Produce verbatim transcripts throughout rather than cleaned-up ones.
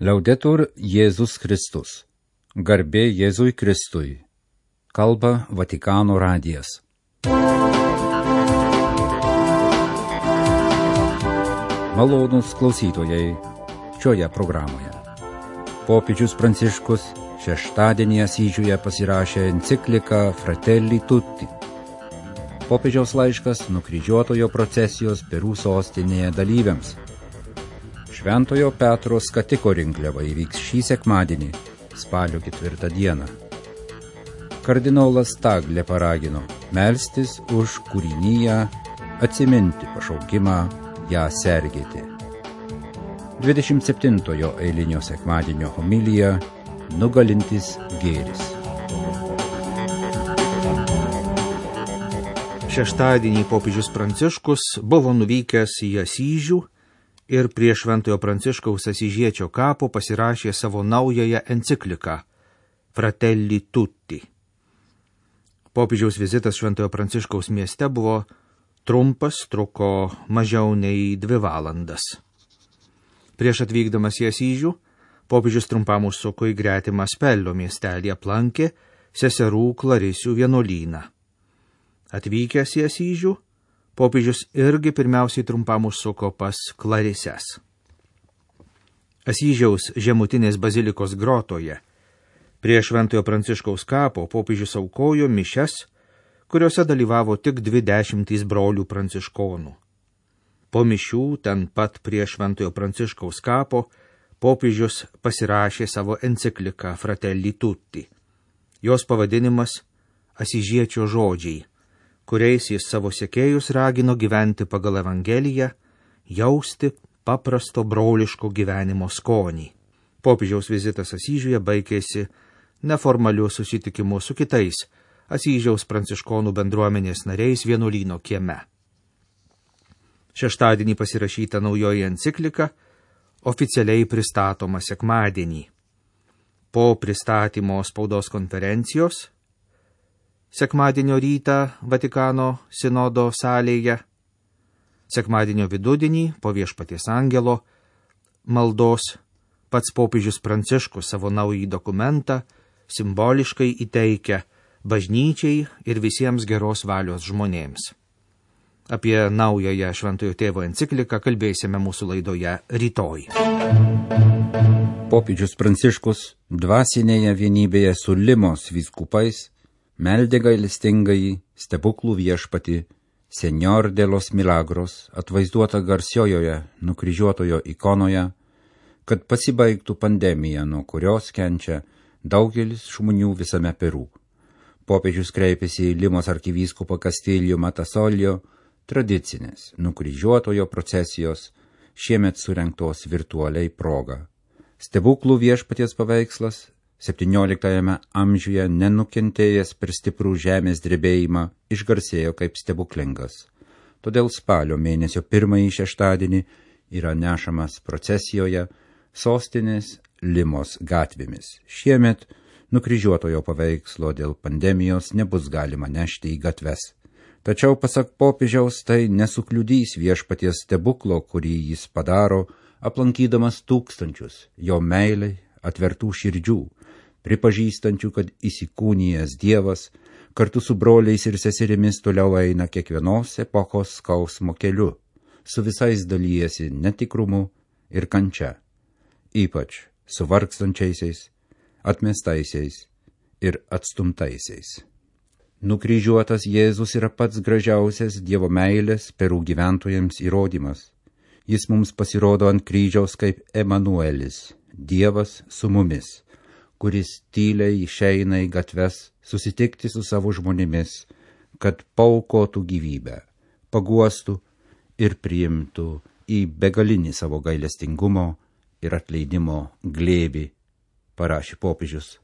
Liaudetur Jėzus Kristus. Garbė Jėzui Kristui. Kalba Vatikano radijas. Malonūs klausytojai šioje programoje. Popiežius Pranciškus šeštadienį Asyžiuje pasirašė encikliką Fratelli Tutti. Popiežiaus laiškas nukryžiuotojo procesijos Perų sostinėje dalyviams. Šventojo Petro skatiko rinkliava įvyks šį sekmadienį, spalio ketvirtą dieną. Kardinolas Taglė paragino melstis už kūriniją, atsiminti pašaukimą, ją sergėti. dvidešimt septintojo eilinio sekmadienio homilija Nugalintis gėris. Šeštadienį popiežius Pranciškus buvo nuvykęs į Asyžių ir prie Šventojo Pranciškaus Asyžiečio kapo pasirašė savo naująją encikliką Fratelli Tutti. Popiežiaus vizitas Šventojo Pranciškaus mieste buvo trumpas, truko mažiau nei dvi valandas. Prieš atvykdamas į Asyžių, popiežius trumpam užsuko į gretimą Spellio miestelį, aplankė seserų Klarisių vienuolyną. Atvykęs į Asyžių, popiežius irgi pirmiausiai trumpam užsuko pas Klarises. Asyžiaus žemutinės bazilikos grotoje prie Šventojo Pranciškaus kapo popiežius aukojo mišias, kuriuose dalyvavo tik dvi dešimtys brolių pranciškonų. Po mišių ten pat prie Šventojo Pranciškaus kapo popiežius pasirašė savo encikliką Fratelli Tutti. Jos pavadinimas Asyžiečio žodžiai, kuriais jis savo sekėjus ragino gyventi pagal Evangeliją, jausti paprasto broliško gyvenimo skonį. Popiežiaus vizitas Asyžiuje baigėsi neformaliu susitikimu su kitais Asyžiaus pranciškonų bendruomenės nariais vienuolyno kieme. Šeštadienį pasirašyta naujoji enciklika oficialiai pristatoma sekmadienį. Po pristatymo spaudos konferencijos sekmadienio rytą Vatikano sinodo salėje, sekmadienio vidudienį po Viešpaties angelo maldos pats popiežius Pranciškus savo naująjį dokumentą simboliškai įteikia bažnyčiai ir visiems geros valios žmonėms. Apie naująją Šventojo Tėvo encikliką kalbėsime mūsų laidoje rytoj. Popiežius Pranciškus dvasinėje vienybėje su Limos vyskupais meldė gailestingąjį stebuklų viešpatį Señor de los Milagros, atvaizduota garsiojoje nukryžiuotojo ikonoje, kad pasibaigtų pandemija, nuo kurios kenčia daugelis žmonių visame Perų. Popiežius kreipėsi į Limos arkivyskupą Castillo Matasolio tradicinės nukryžiuotojo procesijos šiemet surengtos virtualiai proga. Stebuklų viešpaties paveikslas septynioliktajame amžiuje nenukentėjęs per stiprų žemės drebėjimą išgarsėjo kaip stebuklingas. Todėl spalio mėnesio pirmąjį šeštadienį yra nešamas procesijoje sostinės Limos gatvėmis. Šiemet nukryžiuotojo paveikslo dėl pandemijos nebus galima nešti į gatves. Tačiau pasak popiežiaus tai nesukliudys viešpaties stebuklo, kurį jis padaro, aplankydamas tūkstančius jo meilei atvertų širdžių, pripažįstančių, kad įsikūnijęs Dievas kartu su broliais ir seserimis toliau eina kiekvienos epochos skausmo keliu, su visais dalyjasi netikrumu ir kančia, ypač su vargstančiaisiais, atmestaisiais ir atstumtaisiais. Nukryžiuotas Jėzus yra pats gražiausias Dievo meilės Perų gyventojams įrodymas. Jis mums pasirodo ant kryžiaus kaip Emanuelis, Dievas su mumis, kuris tyliai išeina į gatves susitikti su savo žmonėmis, kad paaukotų gyvybę, paguostų ir priimtų į begalinį savo gailestingumo ir atleidimo glėbį, parašė popiežius.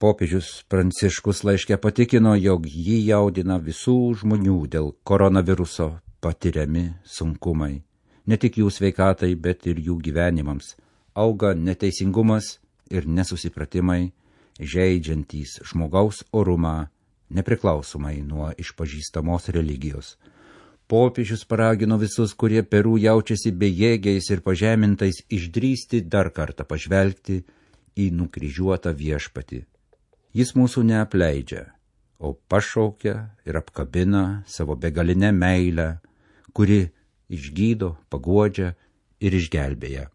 Popiežius Pranciškus laiške patikino, jog jį jaudina visų žmonių dėl koronaviruso patiriami sunkumai. Ne tik jų sveikatai, bet ir jų gyvenimams. Auga neteisingumas ir nesusipratimai, žeidžiantys žmogaus orumą, nepriklausomai nuo išpažįstamos religijos. Popiežius paragino visus, kurie Peru jaučiasi bejėgiais ir pažemintais, išdrįsti dar kartą pažvelgti į nukryžiuotą viešpatį. Jis mūsų neapleidžia, o pašaukia ir apkabina savo begalinę meilę, kuri išgydo, paguodžia ir išgelbėja.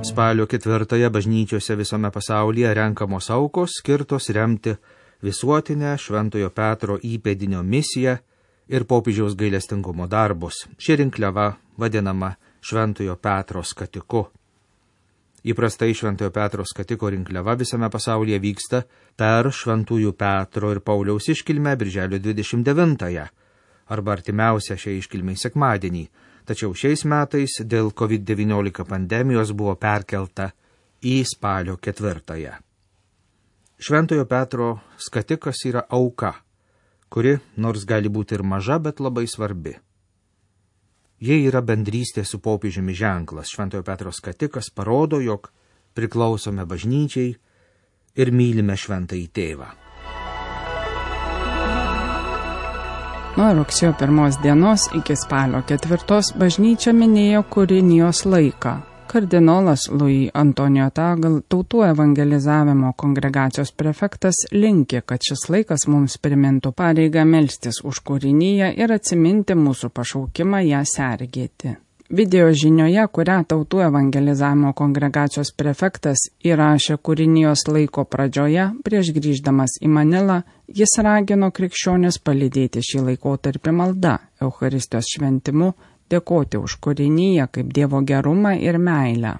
Spalio ketvirtąją bažnyčiose visame pasaulyje renkamos aukos skirtos remti visuotinę Šventojo Petro įpėdinio misiją ir popiežiaus gailestingumo darbus. Ši rinkliava vadinama Šventojo Petro skatiku. Įprastai Šventojo Petro skatiko rinkliava visame pasaulyje vyksta per Šventųjų Petro ir Pauliaus iškilmę birželio dvidešimt devintąją arba artimiausią šiai iškilmei sekmadienį. Tačiau šiais metais dėl covid devyniolika pandemijos buvo perkelta į spalio ketvirtąją. Šventojo Petro skatikas yra auka, kuri nors gali būti ir maža, bet labai svarbi. Jie yra bendrystė su popiežiumi ženklas. Šventojo Petro skatikas parodo, jog priklausome bažnyčiai ir mylime šventąjį tėvą. Nuo rugsėjo pirmos dienos iki spalio ketvirtos bažnyčia minėjo Kurinijos laiką. Kardinolas Luis Antonijo Tagle, tautų evangelizavimo kongregacijos prefektas, linki, kad šis laikas mums primintų pareigą melstis už Kuriniją ir atsiminti mūsų pašaukimą ją sergėti. Video žinioje, kurią tautų evangelizavimo kongregacijos prefektas įrašė Kurinijos laiko pradžioje, prieš grįždamas į Manilą, jis ragino krikščionis palydėti šį laikotarpį malda, Eucharistijos šventimu, dėkoti už Kuriniją kaip Dievo gerumą ir meilę.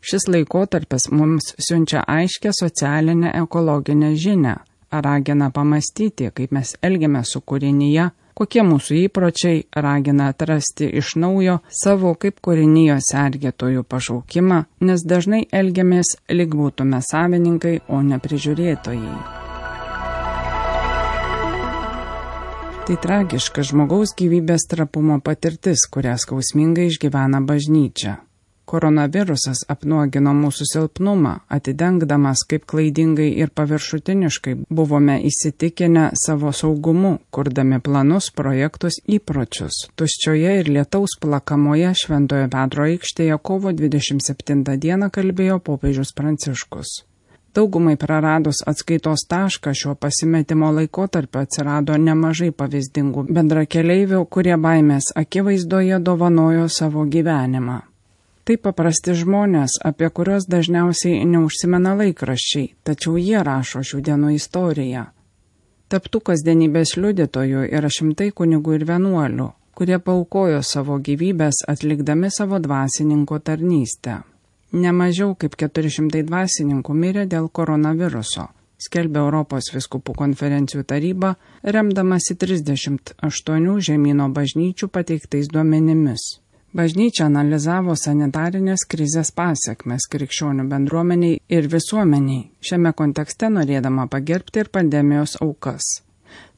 Šis laikotarpis mums siunčia aiškę socialinę ekologinę žinią, ragina pamastyti, kaip mes elgiamės su Kurinija, kokie mūsų įpročiai, ragina atrasti iš naujo savo kaip Kurinijos sergėtojų pašaukimą, nes dažnai elgiamės lyg būtume savininkai, o ne prižiūrėtojai. Tai tragiška žmogaus gyvybės trapumo patirtis, kurią skausmingai išgyvena bažnyčia. Koronavirusas apnuogino mūsų silpnumą, atidengdamas, kaip klaidingai ir paviršutiniškai buvome įsitikinę savo saugumu, kurdami planus, projektus, įpročius. Tuščioje ir lietaus plakamoje Šventojo Petro aikštėje kovo dvidešimt septintą dieną kalbėjo popiežius Pranciškus. Daugumai praradus atskaitos tašką šio pasimetimo laikotarpio atsirado nemažai pavyzdingų bendrakeleivių, kurie baimės akivaizdoje dovanojo savo gyvenimą. Tai paprasti žmonės, apie kuriuos dažniausiai neužsimena laikraščiai, tačiau jie rašo šių dienų istoriją. Taptų kasdienybės liudytojų yra šimtai kunigų ir vienuolių, kurie paaukojo savo gyvybės atlikdami savo dvasininko tarnystę. Nemažiau kaip keturi šimtai dvasininkų mirė dėl koronaviruso, skelbė Europos vyskupų konferencijų taryba, remdamasi trisdešimt aštuonių žemyno bažnyčių pateiktais duomenimis. Bažnyčia analizavo sanitarinės krizės pasekmes krikščionių bendruomeniai ir visuomeniai, šiame kontekste norėdama pagerbti ir pandemijos aukas.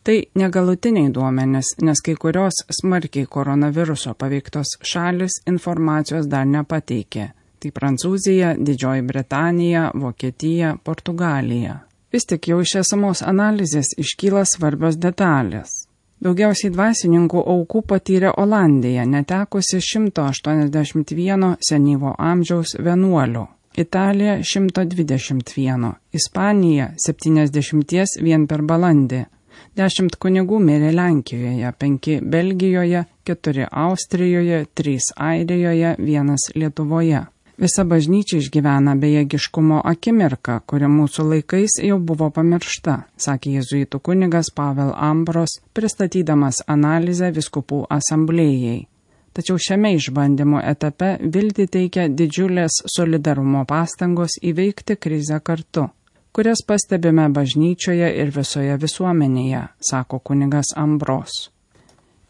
Tai negalutiniai duomenys, nes kai kurios smarkiai koronaviruso paveiktos šalis informacijos dar nepateikė. Tai Prancūzija, Didžioji Britanija, Vokietija, Portugalija. Vis tik jau iš esamos analizės iškyla svarbios detalės. Daugiausiai dvasininkų aukų patyrė Olandija, netekusi šimto aštuoniasdešimt vieno senyvo amžiaus vienuolio, Italija šimto dvidešimt vieno, Ispanija septyniasdešimt vien per balandį, dešimt kunigų mirė Lenkijoje, penki Belgijoje, keturi Austrijoje, trys Airijoje, vienas Lietuvoje. Visa bažnyčia išgyvena bejėgiškumo akimirką, kuri mūsų laikais jau buvo pamiršta, sakė jėzuitų kunigas Pavel Ambros, pristatydamas analizę vyskupų asamblėjai. Tačiau šiame išbandymo etape viltį teikia didžiulės solidarumo pastangos įveikti krizę kartu, kurias pastebime bažnyčioje ir visoje visuomenėje, sako kunigas Ambros.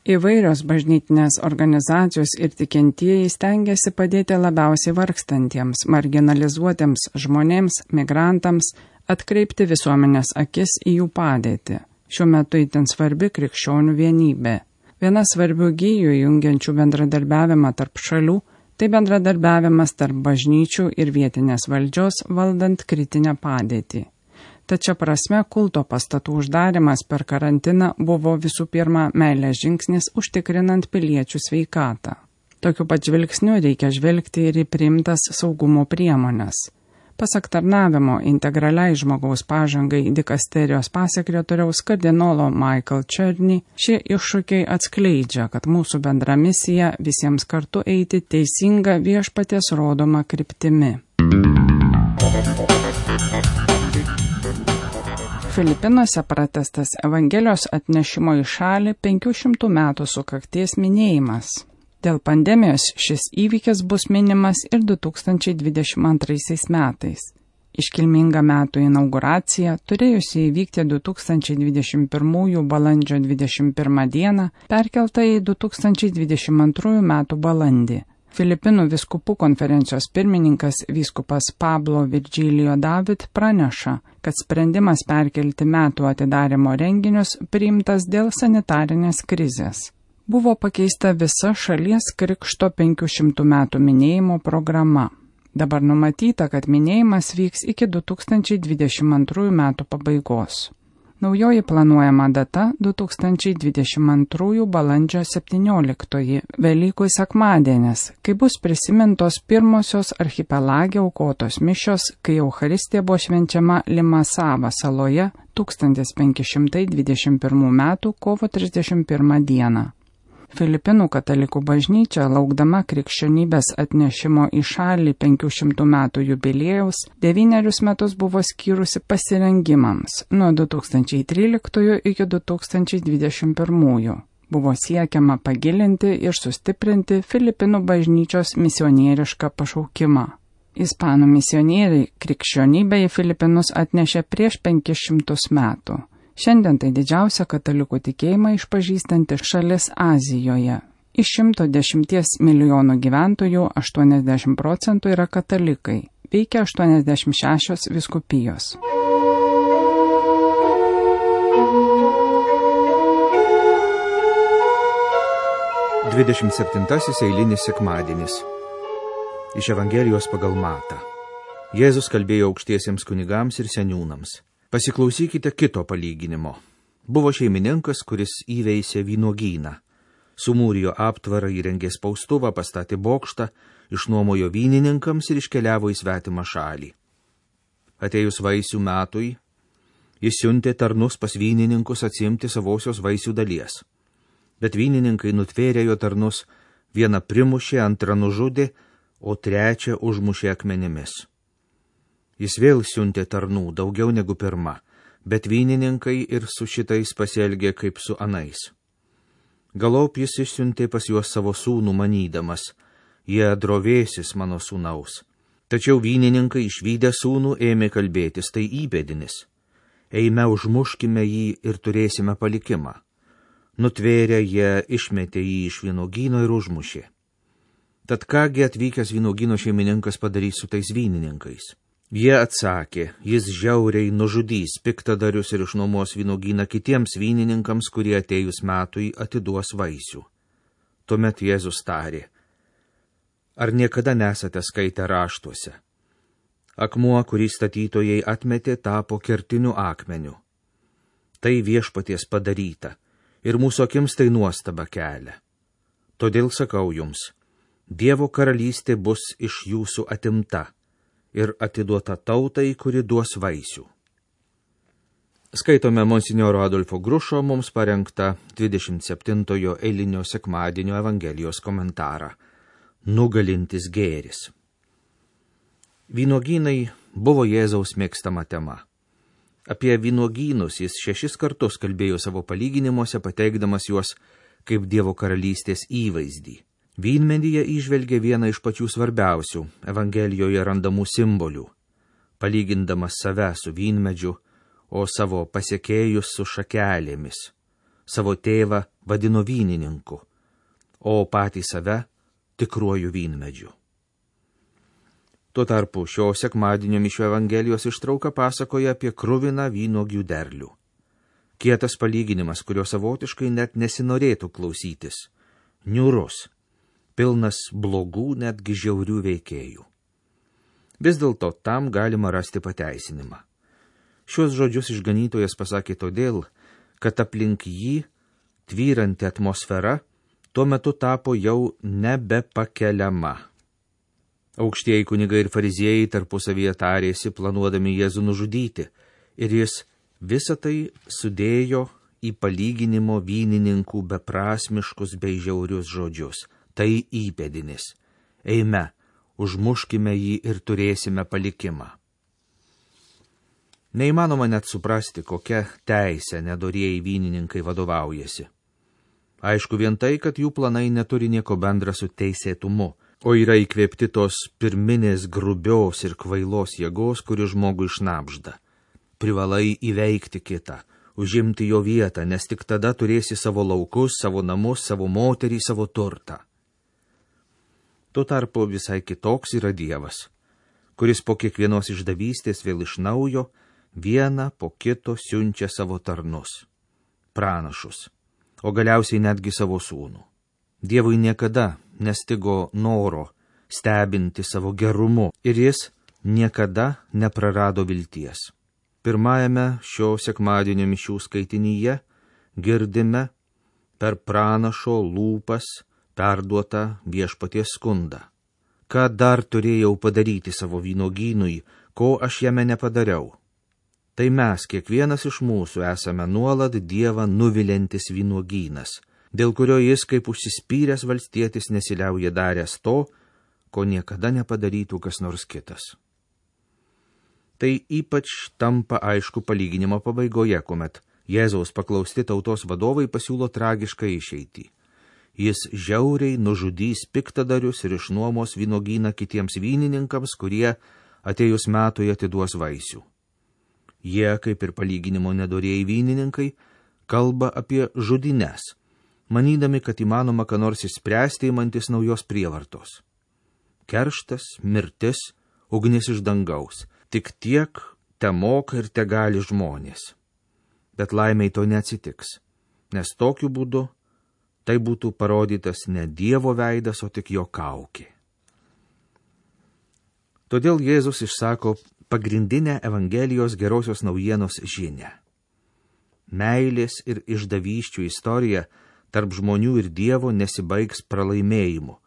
Įvairios bažnytinės organizacijos ir tikintieji stengiasi padėti labiausiai vargstantiems, marginalizuotiems žmonėms, migrantams, atkreipti visuomenės akis į jų padėtį. Šiuo metu itin svarbi krikščionių vienybė. Viena svarbių gijų jungiančių bendradarbiavimą tarp šalių – tai bendradarbiavimas tarp bažnyčių ir vietinės valdžios valdant kritinę padėtį. Tačiau prasme kulto pastatų uždarimas per karantiną buvo visų pirma meilės žingsnis užtikrinant piliečių sveikatą. Tokiu pat žvilgsniu reikia žvelgti ir į priimtas saugumo priemonės. Pasak tarnavimo integraliai žmogaus pažangai dikasterijos pasekretoriaus kardinolo Michael Černy, šie iššūkiai atskleidžia, kad mūsų bendra misija visiems kartu eiti teisinga viešpaties rodoma kryptimi. Filipinuose pratęstas Evangelijos atnešimo į šalį penkių šimtų metų sukakties minėjimas. Dėl pandemijos šis įvykis bus minimas ir du tūkstančiai dvidešimt antraisiais metais. Iškilminga metų inauguracija, turėjusi įvykti du tūkstančiai dvidešimt pirmųjų balandžio dvidešimt pirmą dieną, perkelta į du tūkstančiai dvidešimt antrųjų metų balandį. Filipinų vyskupų konferencijos pirmininkas vyskupas Pablo Virgilio David praneša, kad sprendimas perkelti metų atidarymo renginius priimtas dėl sanitarinės krizės. Buvo pakeista visa šalies krikšto penkių šimtų metų minėjimo programa. Dabar numatyta, kad minėjimas vyks iki du tūkstančiai dvidešimt antrųjų metų pabaigos. Naujoji planuojama data – du tūkstančiai dvidešimt antrųjų balandžio septynioliktoji, Velykų sekmadienis, kai bus prisimintos pirmosios archipelage aukotos mišios, kai Eucharistija buvo švenčiama Limasava saloje tūkstantis penki šimtai dvidešimt pirmų metų kovo trisdešimt pirmą dieną. Filipinų katalikų bažnyčia, laukdama krikščionybės atnešimo į šalį penkių šimtų metų jubiliejaus, devynerius metus buvo skyrusi pasirengimams nuo du tūkstančiai tryliktųjų iki du tūkstančiai dvidešimt pirmųjų. Buvo siekiama pagilinti ir sustiprinti Filipinų bažnyčios misionierišką pašaukimą. Ispanų misionieriai krikščionybę į Filipinus atnešė prieš penkis šimtus metų. Šiandien tai didžiausia katalikų tikėjimą išpažįstanti šalis Azijoje. Iš šimto dešimties milijonų gyventojų aštuoniasdešimt procentų yra katalikai, veikia aštuoniasdešimt šešios vyskupijos. dvidešimt septintasis eilinis sekmadienis. Iš Evangelijos pagal Matą. Jėzus kalbėjo aukštiesiems kunigams ir seniūnams. Pasiklausykite kito palyginimo. Buvo šeimininkas, kuris įveisė vynuogyną. Sumūrijo aptvarą, įrengė spaustuvą, pastatė bokštą, išnuomojo vynininkams ir iškeliavo į svetimą šalį. Atėjus vaisių metui, jis siuntė tarnus pas vynininkus atsiimti savosios vaisių dalies. Bet vynininkai nutvėrė jo tarnus, vieną primušė, antrą nužudė, o trečią užmušė akmenimis. Jis vėl siuntė tarnų, daugiau negu pirma, bet vynininkai ir su šitais pasielgė kaip su anais. Galop jis išsiuntė pas juos savo sūnų manydamas, jie drovėsis mano sūnaus. Tačiau vynininkai išvydę sūnų ėmė kalbėtis, tai įpėdinis. Eime užmuškime jį ir turėsime palikimą. Nutvėrę jie išmetė jį iš vynuogyno ir užmušė. Tad kągi atvykęs vynuogyno šeimininkas padarys su tais vynininkais? Jie atsakė, jis žiauriai nužudys piktadarius ir išnuomos vynuogyną kitiems vynininkams, kurie atėjus metui atiduos vaisių. Tuomet Jėzus tarė, ar niekada nesate skaitę raštuose? Akmuo, kurį statytojai atmetė, tapo kertiniu akmeniu. Tai viešpaties padaryta, ir mūsų akims tai nuostaba kelia. Todėl sakau jums, Dievo karalystė bus iš jūsų atimta ir atiduota tautai, kuri duos vaisių. Skaitome monsinjoro Adolfo Grušo mums parengtą dvidešimt septintojo eilinio sekmadienio Evangelijos komentarą. Nugalintis gėris. Vynuogynai buvo Jėzaus mėgstama tema. Apie vynuogynus jis šešis kartus kalbėjo savo palyginimuose, pateikdamas juos kaip Dievo karalystės įvaizdį. Vynmedyje įžvelgė vieną iš pačių svarbiausių Evangelijoje randamų simbolių, palygindamas save su vynmedžiu, o savo pasekėjus su šakelėmis. Savo tėvą vadino vynininku, o patį save tikruoju vynmedžiu. Tuo tarpu šio sekmadienio mišių Evangelijos ištrauka pasakoja apie kruviną vynuogių derlių. Kietas palyginimas, kurio savotiškai net nesinorėtų klausytis. Niūrus. Pilnas blogų, netgi žiaurių veikėjų. Vis dėlto tam galima rasti pateisinimą. Šios žodžius išganytojas pasakė todėl, kad aplink jį tvyranti atmosfera tuo metu tapo jau nebepakeliama. Aukštieji kunigai ir fariziejai tarpusavyje tarėsi, planuodami Jėzų nužudyti, ir jis visą tai sudėjo į palyginimo vynininkų beprasmiškus bei žiaurius žodžius. Tai įpėdinis. Eime, užmuškime jį ir turėsime palikimą. Neįmanoma net suprasti, kokia teisė nedorieji vynininkai vadovaujasi. Aišku vien tai, kad jų planai neturi nieko bendra su teisėtumu, o yra įkvėpti tos pirminės grubios ir kvailos jėgos, kuri žmogų išnapžda. Privalai įveikti kitą, užimti jo vietą, nes tik tada turėsi savo laukus, savo namus, savo moterį, savo turtą. Tuo tarpu visai kitoks yra Dievas, kuris po kiekvienos išdavystės vėl iš naujo vieną po kito siunčia savo tarnus, pranašus, o galiausiai netgi savo sūnų. Dievui niekada nestigo noro stebinti savo gerumu ir jis niekada neprarado vilties. Pirmajame šio sekmadienio mišių skaitinyje girdime per pranašo lūpas perduotą Viešpaties skundą. Ką dar turėjau padaryti savo vynogynui, ko aš jame nepadariau? Tai mes, kiekvienas iš mūsų, esame nuolat Dievą nuviliantis vynogynas, dėl kurio jis kaip užsispyręs valstietis nesiliauja daręs to, ko niekada nepadarytų kas nors kitas. Tai ypač tampa aišku palyginimo pabaigoje, kuomet Jėzaus paklausti tautos vadovai pasiūlo tragišką išeitį. Jis žiauriai nužudys piktadarius ir išnuomos vynogyną kitiems vynininkams, kurie atėjus metui atiduos vaisių. Jie, kaip ir palyginimo nedorieji vynininkai, kalba apie žudines, manydami, kad įmanoma ką nors išspręsti įmantis naujos prievartos. Kerštas, mirtis, ugnis iš dangaus, tik tiek te moka ir te gali žmonės. Bet laimiai to neatsitiks, nes tokiu būdu tai būtų parodytas ne Dievo veidas, o tik jo kaukė. Todėl Jėzus išsako pagrindinę Evangelijos gerosios naujienos žinią. Meilės ir išdavysčių istorija tarp žmonių ir Dievo nesibaigs pralaimėjimu,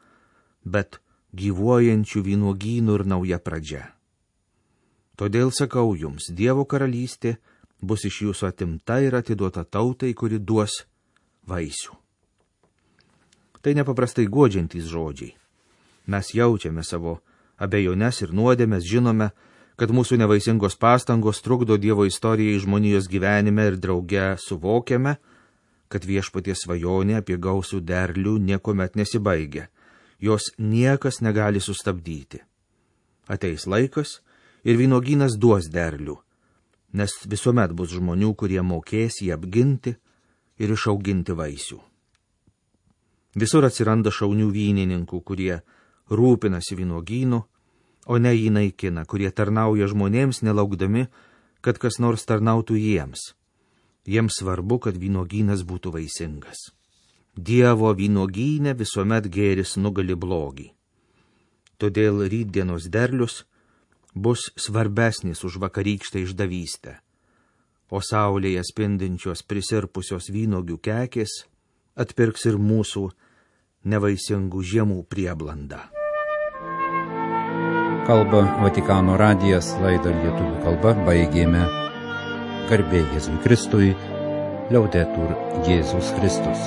bet gyvuojančių vynuogynų ir nauja pradžia. Todėl sakau jums, Dievo karalystė bus iš jūsų atimta ir atiduota tautai, kuri duos vaisių. Tai nepaprastai guodžiantys žodžiai. Mes jaučiame savo abejones ir nuodėmes, žinome, kad mūsų nevaisingos pastangos trukdo Dievo istorijai žmonijos gyvenime ir drauge suvokiame, kad Viešpaties svajonė apie gausų derlių niekuomet nesibaigia, jos niekas negali sustabdyti. Ateis laikas ir vynogynas duos derlių, nes visuomet bus žmonių, kurie mokės jį apginti ir išauginti vaisių. Visur atsiranda šaunių vynininkų, kurie rūpinasi vynogynu, o ne jį naikina, kurie tarnauja žmonėms nelaukdami, kad kas nors tarnautų jiems. Jiems svarbu, kad vynogynas būtų vaisingas. Dievo vynogyne visuomet gėris nugali blogį. Todėl rytdienos derlius bus svarbesnis už vakarykštę išdavystę, o saulėje spindinčios prisirpusios vynogių kekės atpirks ir mūsų nevaisingų žiemų prieblandą. Kalba Vatikano radijas, laidą lietuvių kalba baigėme. Garbė Jėzui Kristui, Liaudetur Jėzus Kristus.